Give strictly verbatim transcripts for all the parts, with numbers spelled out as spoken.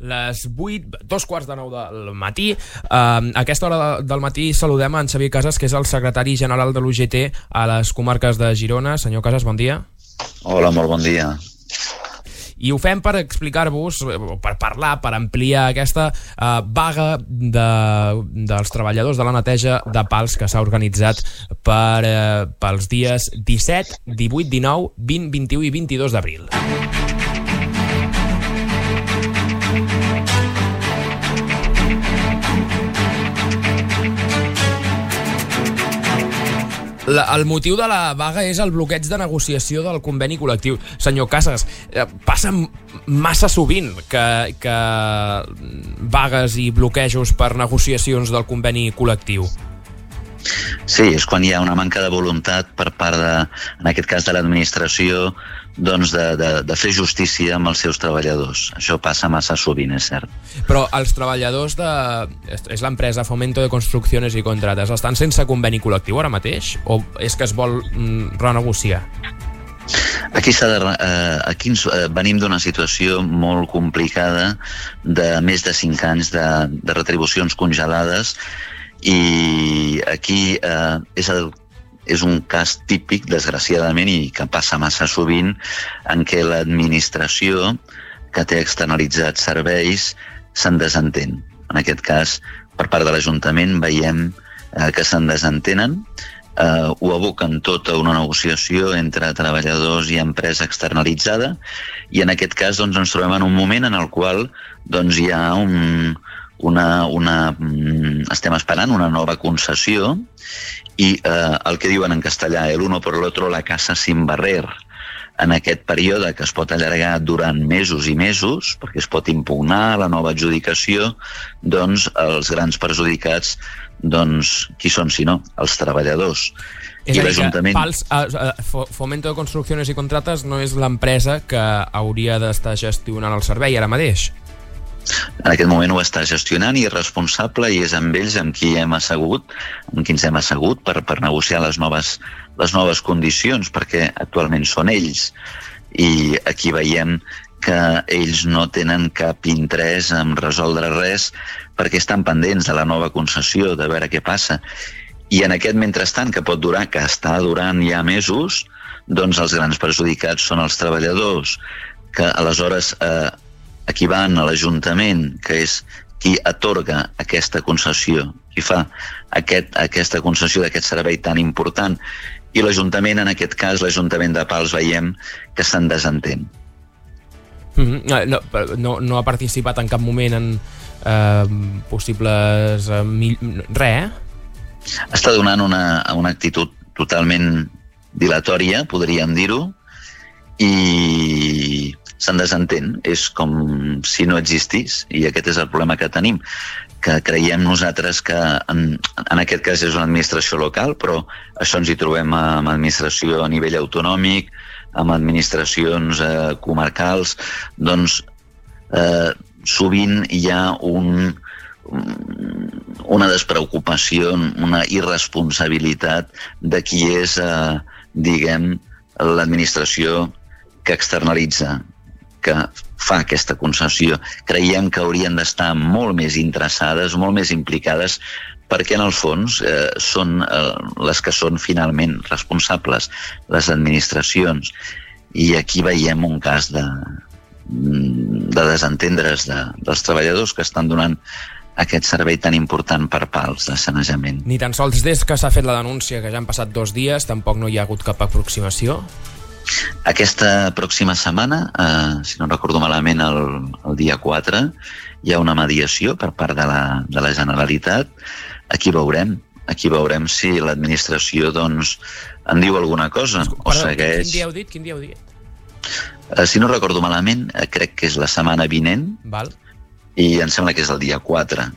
les vuit, dos quarts de nou del matí. Uh, a aquesta hora de, del matí saludem a en Xavier Casas, que és el secretari general de l'U G T a les comarques de Girona. Senyor Casas, bon dia. Hola, molt bon dia. I ho fem per explicar-vos, per parlar, per ampliar aquesta uh, vaga de, dels treballadors de la neteja de Pals que s'ha organitzat per, uh, pels dies disset, divuit, dinou, vint, vint-i-u i vint-i-dos d'abril. La, el motiu de la vaga és el bloqueig de negociació del conveni col·lectiu. Senyor Casas, eh, passa massa sovint que, que vagues i bloquejos per negociacions del conveni col·lectiu. Sí, és quan hi ha una manca de voluntat per part de, en aquest cas de l'administració, doncs de, de, de fer justícia amb els seus treballadors. Això passa massa sovint, és cert. Però els treballadors de... és l'empresa Fomento de Construcciones i Contrates, estan sense conveni col·lectiu ara mateix? O és que es vol mm, renegociar? Aquí, s'ha de, eh, aquí ens, eh, venim d'una situació molt complicada de més de cinc anys de, de retribucions congelades, i aquí eh, és, el, és un cas típic, desgraciadament, i que passa massa sovint, en què l'administració que té externalitzats serveis se'n desentén. En aquest cas, per part de l'Ajuntament, veiem eh, que se'n desentenen, eh, ho aboquen tot a una negociació entre treballadors i empresa externalitzada, i en aquest cas doncs, ens trobem en un moment en el qual doncs, hi ha un... Una, una, estem esperant una nova concessió i eh, el que diuen en castellà, el uno por el otro la casa sin barrer. En aquest període que es pot allargar durant mesos i mesos, perquè es pot impugnar la nova adjudicació, doncs els grans perjudicats, doncs, qui són si no? Els treballadors. És a dir, que Pals, uh, Fomento de Construcciones i Contrates no és l'empresa que hauria d'estar gestionant el servei ara mateix? En aquest moment ho està gestionant i és responsable, i és amb ells amb qui hem assegut, amb qui ens hem assegut per, per negociar les noves, les noves condicions, perquè actualment són ells. I aquí veiem que ells no tenen cap interès en resoldre res perquè estan pendents de la nova concessió, de veure què passa. I en aquest mentrestant, que pot durar, que està durant ja mesos, doncs els grans perjudicats són els treballadors, que aleshores... Eh, aquí van a l'Ajuntament, que és qui atorga aquesta concessió, qui fa aquest, aquesta concessió d'aquest servei tan important, i l'Ajuntament, en aquest cas, l'Ajuntament de Pals, veiem que se'n desentén. Mm-hmm. No, no, no ha participat en cap moment en eh, possibles... Eh, mil... res, eh? Està donant una, una actitud totalment dilatòria, podríem dir-ho, i... se'n desentén, és com si no existís, i aquest és el problema que tenim, que creiem nosaltres que en, en aquest cas és una administració local, però això ens hi trobem amb administració a nivell autonòmic, amb administracions eh, comarcals, doncs eh, sovint hi ha un, una despreocupació, una irresponsabilitat de qui és, eh, diguem, l'administració que externalitza, que fa aquesta concessió. Creiem que haurien d'estar molt més interessades, molt més implicades, perquè en el fons eh, són eh, les que són finalment responsables, les administracions. I aquí veiem un cas de, de desentendre's de, dels treballadors que estan donant aquest servei tan important per Pals de sanejament. Ni tan sols des que s'ha fet la denúncia, que ja han passat dos dies, tampoc no hi ha hagut cap aproximació? Aquesta pròxima setmana, eh, si no recordo malament, el, el dia quatre, hi ha una mediació per part de la, de la Generalitat. Aquí veurem, aquí veurem si l'administració doncs, en diu alguna cosa. Perdó, o segueix... Quin dia heu dit? Quin dia heu dit? Eh, si no recordo malament, eh, crec que és la setmana vinent. Val. I em sembla que és el dia quatre.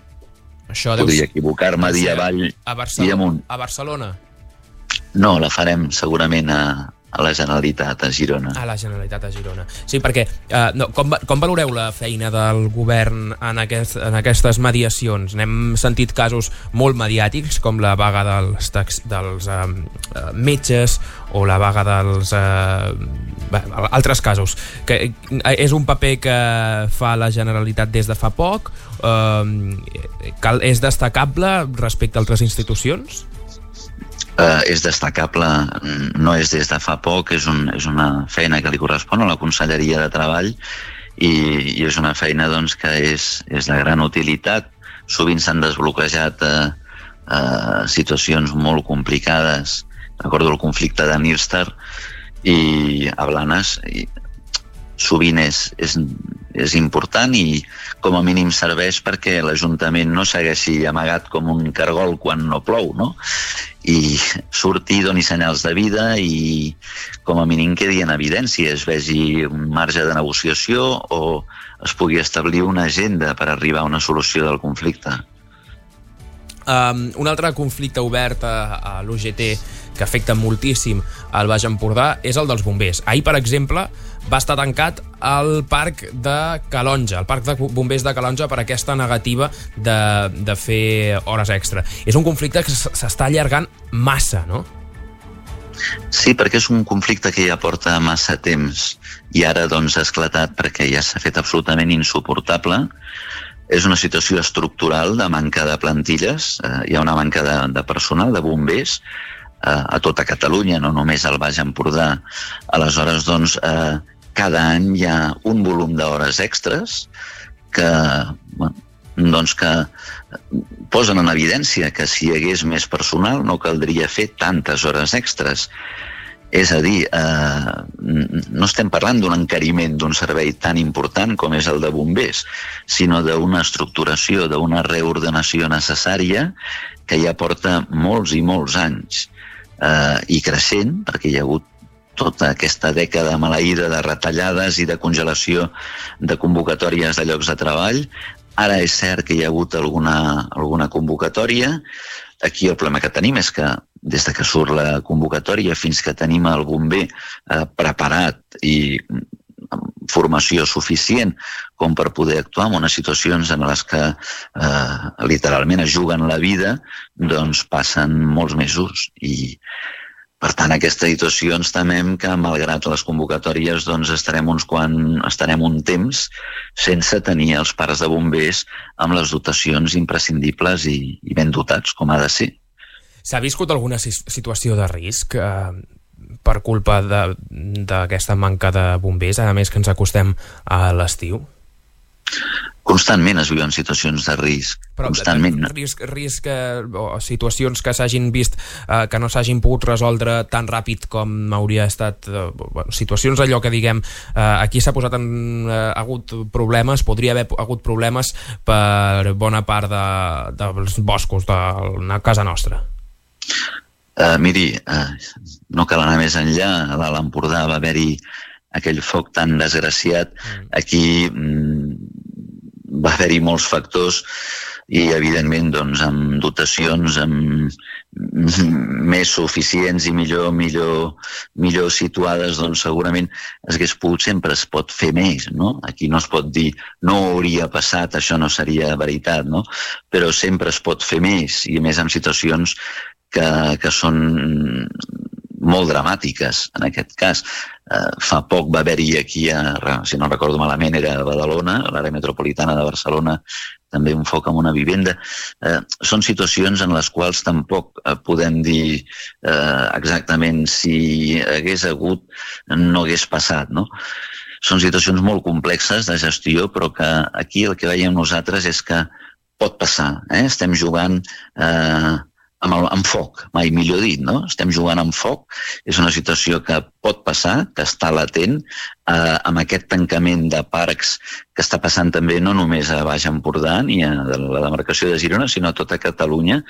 Això podria equivocar-me dia avall a Barcelona, i amunt. A Barcelona? No, la farem segurament a, a la Generalitat a Girona. A la Generalitat a Girona. Sí, perquè eh, no, com, com valoreu la feina del govern en, aquest, en aquestes mediacions? N'hem sentit casos molt mediàtics, com la vaga dels, tax, dels eh, metges o la vaga dels... Eh, bé, altres casos. Que és un paper que fa la Generalitat des de fa poc? Eh, cal, és destacable respecte a altres institucions? Uh, és destacable, no és des de fa poc, és, un, és una feina que li correspon a la Conselleria de Treball i, i és una feina doncs, que és, és de gran utilitat. Sovint s'han desbloquejat uh, uh, situacions molt complicades. Recordo el conflicte de Nyrstar i a Blanes, i sovint és, és, és important i com a mínim serveix perquè l'Ajuntament no segueixi amagat com un cargol quan no plou, no? I surti, doni senyals de vida i com a mínim quedi en evidència, es vegi un marge de negociació o es pugui establir una agenda per arribar a una solució del conflicte. Um, un altre conflicte obert a, a l'U G T que afecta moltíssim al Baix Empordà és el dels bombers. Ahir, per exemple, va estar tancat el parc de Calonja, el parc de bombers de Calonja, per aquesta negativa de, de fer hores extra. És un conflicte que s'està allargant massa, no? Sí, perquè és un conflicte que ja porta massa temps i ara doncs ha esclatat perquè ja s'ha fet absolutament insuportable. És una situació estructural de manca de plantilles, eh, hi ha una manca de, de personal, de bombers, eh, a tota Catalunya, no només al Baix Empordà. Aleshores, doncs, eh, cada any hi ha un volum d'hores extres que, bueno, doncs que posen en evidència que si hi hagués més personal no caldria fer tantes hores extres. És a dir, eh, no estem parlant d'un encariment d'un servei tan important com és el de bombers, sinó d'una estructuració, d'una reordenació necessària que ja porta molts i molts anys eh, i creixent, perquè hi ha hagut tota aquesta dècada maleïda de retallades i de congelació de convocatòries de llocs de treball. Ara és cert que hi ha hagut alguna, alguna convocatòria. Aquí el problema que tenim és que des de que surt la convocatòria fins que tenim el bomber eh, preparat i amb formació suficient com per poder actuar en unes situacions en les que eh, literalment es juguen la vida, doncs passen molts mesos i per tant, aquesta situació ens temem que, malgrat les convocatòries, doncs estarem, uns quan, estarem un temps sense tenir els parcs de bombers amb les dotacions imprescindibles i, i ben dotats, com ha de ser. S'ha viscut alguna situació de risc eh, per culpa d'aquesta manca de bombers, a més que ens acostem a l'estiu? Constantment es viuen situacions de risc. Però constantment. risc, risc eh, o situacions que s'hagin vist eh, que no s'hagin pogut resoldre tan ràpid com hauria estat, eh, bueno, situacions allò que diguem eh, aquí s'ha posat en eh, hagut problemes, podria haver hagut problemes per bona part de, dels boscos de la casa nostra. Uh, miri, uh, no cal anar més enllà. A l'Alt Empordà va haver-hi aquell foc tan desgraciat. Aquí mm, va haver-hi molts factors i, evidentment, doncs, amb dotacions amb més suficients i millor, millor, millor situades, doncs segurament es hagués pogut, sempre es pot fer més, no? Aquí no es pot dir no hauria passat, això no seria veritat, no? Però sempre es pot fer més, i a més en situacions que, que són molt dramàtiques, en aquest cas. Eh, fa poc va haver-hi aquí, a, si no recordo malament, era a Badalona, a l'àrea metropolitana de Barcelona, també un foc en una vivenda. Eh, són situacions en les quals tampoc eh, podem dir eh, exactament si hagués hagut, no hagués passat, no? Són situacions molt complexes de gestió, però que aquí el que veiem nosaltres és que pot passar. Eh? Estem jugant eh, amb, el, amb foc, mai millor dit, no? Estem jugant amb foc, és una situació que pot passar, que està latent, eh, amb aquest tancament de parcs que està passant també no només a Baix Empordà ni a la demarcació de Girona, sinó a tota Catalunya.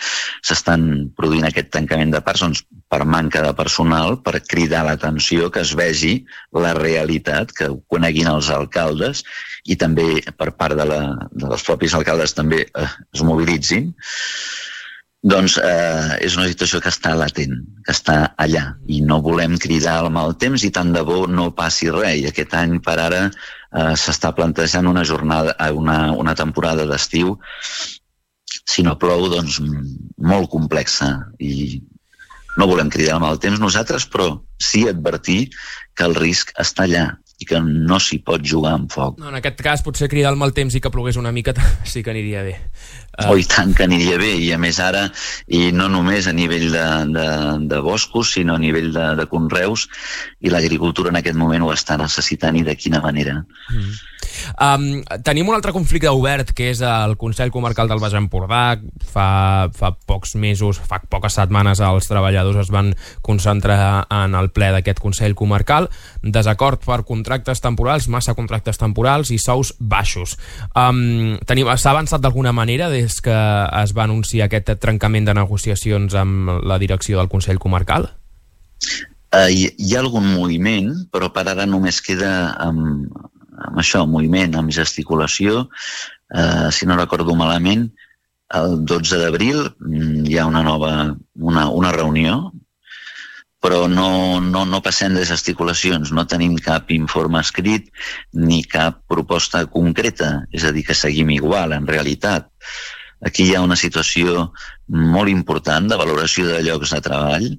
S'estan produint aquest tancament de parcs doncs, per manca de personal, per cridar l'atenció, que es vegi la realitat, que ho coneguin els alcaldes i també per part de, la, de dels propis alcaldes també eh, es mobilitzin. Doncs eh, és una situació que està latent, que està allà, i no volem cridar al mal temps i tant de bo no passi res. I aquest any, per ara, eh, s'està plantejant una jornada, una, una temporada d'estiu, si no plou, doncs molt complexa. I no volem cridar al mal temps nosaltres, però sí advertir que el risc està allà i que no s'hi pot jugar amb foc. No, en aquest cas, potser cridar al mal temps i que plogués una mica sí que aniria bé. Uh... Oh, i tant que aniria bé, i a més ara, i no només a nivell de, de, de boscos, sinó a nivell de, de conreus, i l'agricultura en aquest moment ho està necessitant, i de quina manera. Mm. Um, tenim un altre conflicte obert, que és el Consell Comarcal del Baix Empordà. Fa, fa pocs mesos, fa poques setmanes, els treballadors es van concentrar en el ple d'aquest Consell Comarcal. Desacord per contractes temporals, massa contractes temporals i sous baixos. Um, S'ha avançat d'alguna manera des que es va anunciar aquest trencament de negociacions amb la direcció del Consell Comarcal? Uh, hi, hi ha algun moviment, però per ara només queda amb, amb això, moviment, amb gesticulació. Uh, si no recordo malament, el dotze d'abril hi ha una nova una, una reunió, però no, no, no passem de gesticulacions, no tenim cap informe escrit ni cap proposta concreta, és a dir, que seguim igual, en realitat. Aquí hi ha una situació molt important de valoració de llocs de treball.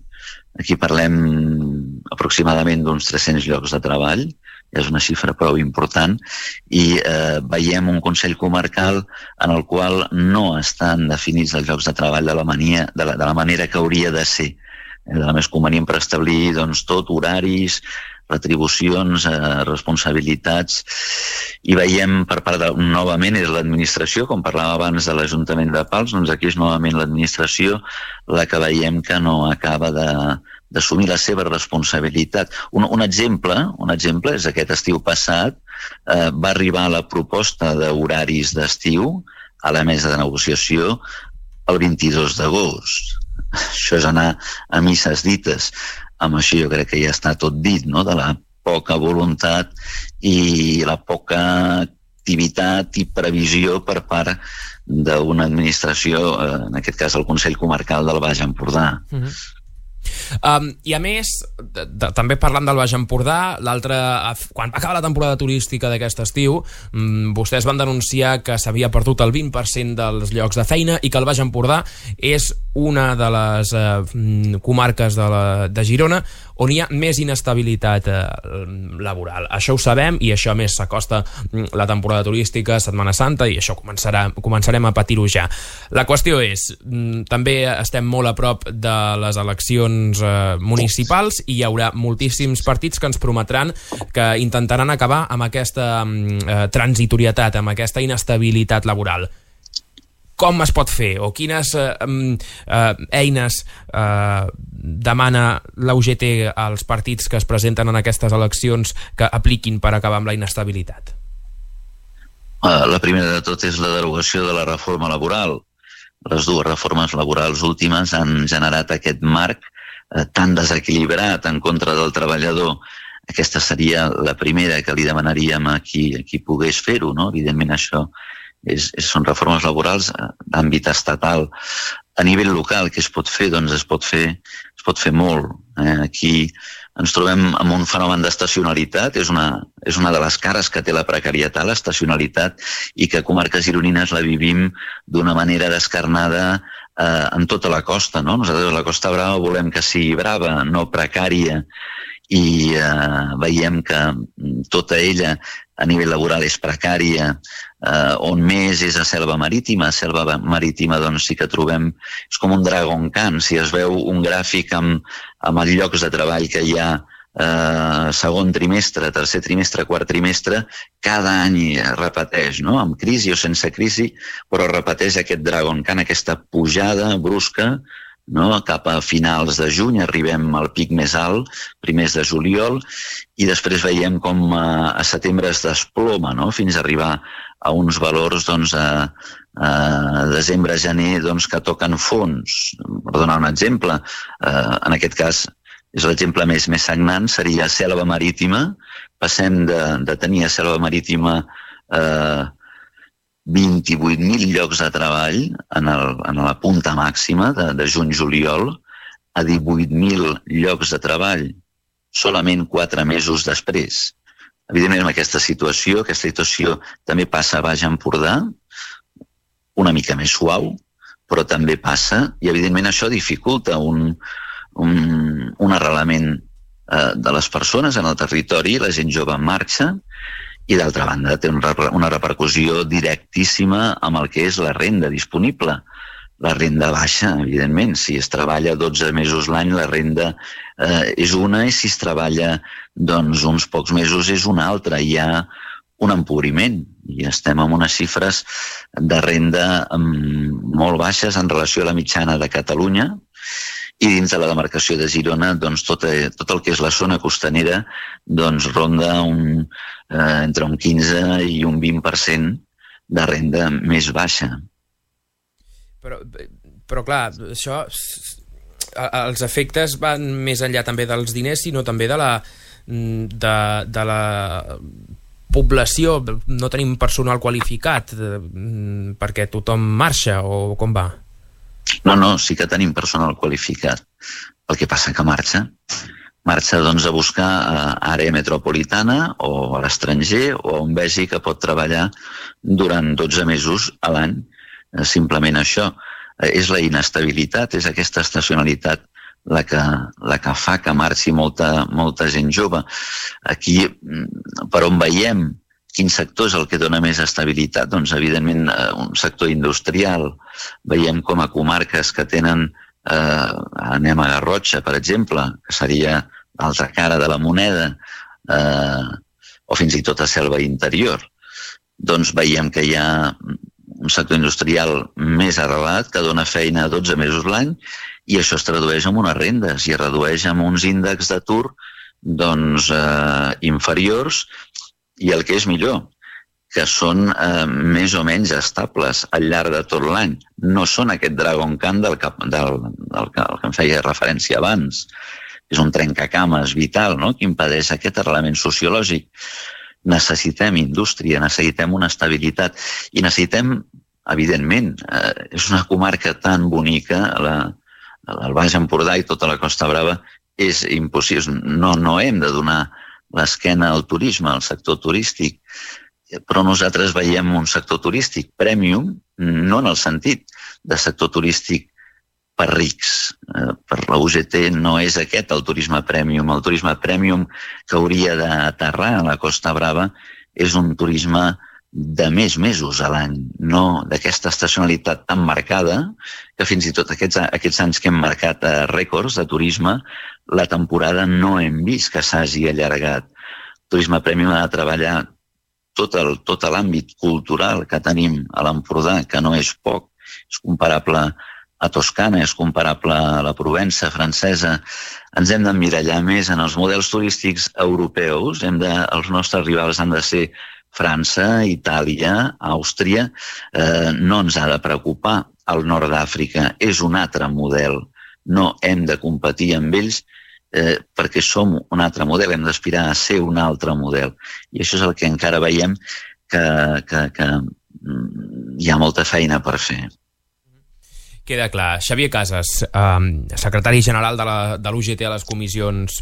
Aquí parlem aproximadament d'uns tres-cents llocs de treball, és una xifra prou important, i eh, veiem un Consell Comarcal en el qual no estan definits els llocs de treball de la, mania, de la, de la manera que hauria de ser. De la més convenient per establir doncs, tot, horaris, retribucions, eh, responsabilitats, i veiem per part de, novament, és l'administració, com parlava abans de l'Ajuntament de Pals, doncs aquí és novament l'administració la que veiem que no acaba de, d'assumir la seva responsabilitat. Un, un, exemple, un exemple és aquest estiu passat, eh, va arribar la proposta d'horaris d'estiu a la mesa de negociació el vint-i-dos d'agost. Això és anar a misses dites. Amb això jo crec que ja està tot dit, no?, de la poca voluntat i la poca activitat i previsió per part d'una administració, en aquest cas el Consell Comarcal del Baix Empordà. Mm-hmm. Um, I a més, de, de, també parlant del Baix Empordà, l'altre, quan va acabar la temporada turística d'aquest estiu, um, vostès van denunciar que s'havia perdut el vint per cent dels llocs de feina i que el Baix Empordà és una de les uh, comarques de, la, de Girona on hi ha més inestabilitat uh, laboral. Això ho sabem, i això a més s'acosta la temporada turística, Setmana Santa, i això començarà, començarem a patir-ho ja. La qüestió és, um, també estem molt a prop de les eleccions uh, municipals, i hi haurà moltíssims partits que ens prometran que intentaran acabar amb aquesta um, uh, transitorietat, amb aquesta inestabilitat laboral. Com es pot fer, o quines eh, eh, eines eh, demana la U G T als partits que es presenten en aquestes eleccions que apliquin per acabar amb la inestabilitat? La primera de tot és la derogació de la reforma laboral. Les dues reformes laborals últimes han generat aquest marc eh, tan desequilibrat en contra del treballador. Aquesta seria la primera que li demanaríem a qui, a qui pogués fer-ho, no? Evidentment això És, és, són reformes laborals d'àmbit estatal. A nivell local, què es pot fer? Doncs es pot fer, es pot fer molt. Eh? Aquí ens trobem amb un fenomen d'estacionalitat, és una, és una de les cares que té la precarietat, l'estacionalitat, i que a comarques gironines la vivim d'una manera descarnada eh, en tota la costa, no? Nosaltres a la Costa Brava volem que sigui brava, no precària, i eh, veiem que tota ella a nivell laboral és precària, eh, on més és a Selva Marítima. A Selva Marítima doncs sí que trobem, és com un Dragon Khan, si es veu un gràfic amb, amb els llocs de treball que hi ha eh, segon trimestre, tercer trimestre, quart trimestre, cada any es repeteix, no? Amb crisi o sense crisi, però repeteix aquest Dragon Khan, aquesta pujada brusca, no? Cap a finals de juny arribem al pic més alt, primers de juliol, i després veiem com a, a setembre es desploma, no? Fins a arribar a uns valors doncs, a, a desembre-gener doncs, que toquen fons. Per donar un exemple, eh, en aquest cas és l'exemple més, més sagnant, seria Selva Marítima. Passem de, de tenir a Selva Marítima eh, vint-i-vuit mil llocs de treball en, el, en la punta màxima de, de juny-juliol a divuit mil llocs de treball solament quatre mesos després. Evidentment, amb aquesta situació, aquesta situació també passa a Baix Empordà, una mica més suau, però també passa, i evidentment això dificulta un, un, un arrelament eh, de les persones en el territori, la gent jove en marxa, i d'altra banda té una repercussió directíssima amb el que és la renda disponible. La renda baixa, evidentment, si es treballa dotze mesos l'any, la renda eh, és una, i si es treballa doncs, uns pocs mesos és una altra. Hi ha un empobriment i estem amb unes xifres de renda molt baixes en relació a la mitjana de Catalunya, i dins de la demarcació de Girona doncs, tot, tot el que és la zona costanera doncs, ronda un, eh, entre un quinze i un vint per cent de renda més baixa. Però, però clar, això, els efectes van més enllà també dels diners, sinó també de la, de, de la població. No tenim personal qualificat perquè tothom marxa, o com va? No, no, sí que tenim personal qualificat. El que passa que marxa. Marxa doncs, a buscar a àrea metropolitana o a l'estranger, o on vegi que pot treballar durant dotze mesos a l'any. Simplement això. És la inestabilitat, és aquesta estacionalitat la que, la que fa que marxi molta, molta gent jove. Aquí, per on veiem quin sector és el que dona més estabilitat? Doncs, evidentment, un sector industrial. Veiem com a comarques que tenen, eh, anem a Garrotxa, per exemple, que seria l'altra cara de la moneda, eh, o fins i tot a Selva Interior, doncs veiem que hi ha un sector industrial més arrelat que dona feina a dotze mesos l'any, i això es tradueix en unes rendes i es redueix en uns índexs d'atur doncs, eh, inferiors, i el que és millor, que són eh, més o menys estables al llarg de tot l'any. No són aquest Dragon Khan del que, del, del que, del que em feia referència abans. És un trencacames vital, no?, que impedeix aquest arrelament sociològic. Necessitem indústria, necessitem una estabilitat i necessitem, evidentment, eh, és una comarca tan bonica, la, el Baix Empordà i tota la Costa Brava, és impossible. No, no hem de donar l'esquena al turisme, al sector turístic, però nosaltres veiem un sector turístic premium, no en el sentit de sector turístic per rics. Per la U G T no és aquest el turisme premium. El turisme premium que hauria d'aterrar a la Costa Brava és un turisme de més mesos a l'any, no d'aquesta estacionalitat tan marcada, que fins i tot aquests, aquests anys que hem marcat a rècords de turisme, la temporada no hem vist que s'hagi allargat. El turisme premium ha de treballar tot, el, tot l'àmbit cultural que tenim a l'Empordà, que no és poc, és comparable a Toscana, és comparable a la Provença francesa. Ens hem d'emmirallar més en els models turístics europeus, hem de, els nostres rivals han de ser França, Itàlia, Àustria. Eh, no ens ha de preocupar el nord d'Àfrica, és un altre model. No hem de competir amb ells eh, perquè som un altre model, hem d'aspirar a ser un altre model. I això és el que encara veiem que, que, que hi ha molta feina per fer. Queda clar. Xavier Casas, eh, secretari general de, la, de l'U G T a les comissions,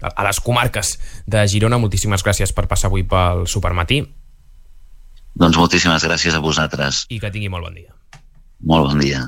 a les comarques de Girona, moltíssimes gràcies per passar avui pel Supermatí. Doncs moltíssimes gràcies a vosaltres. I que tingui molt bon dia. Molt bon dia.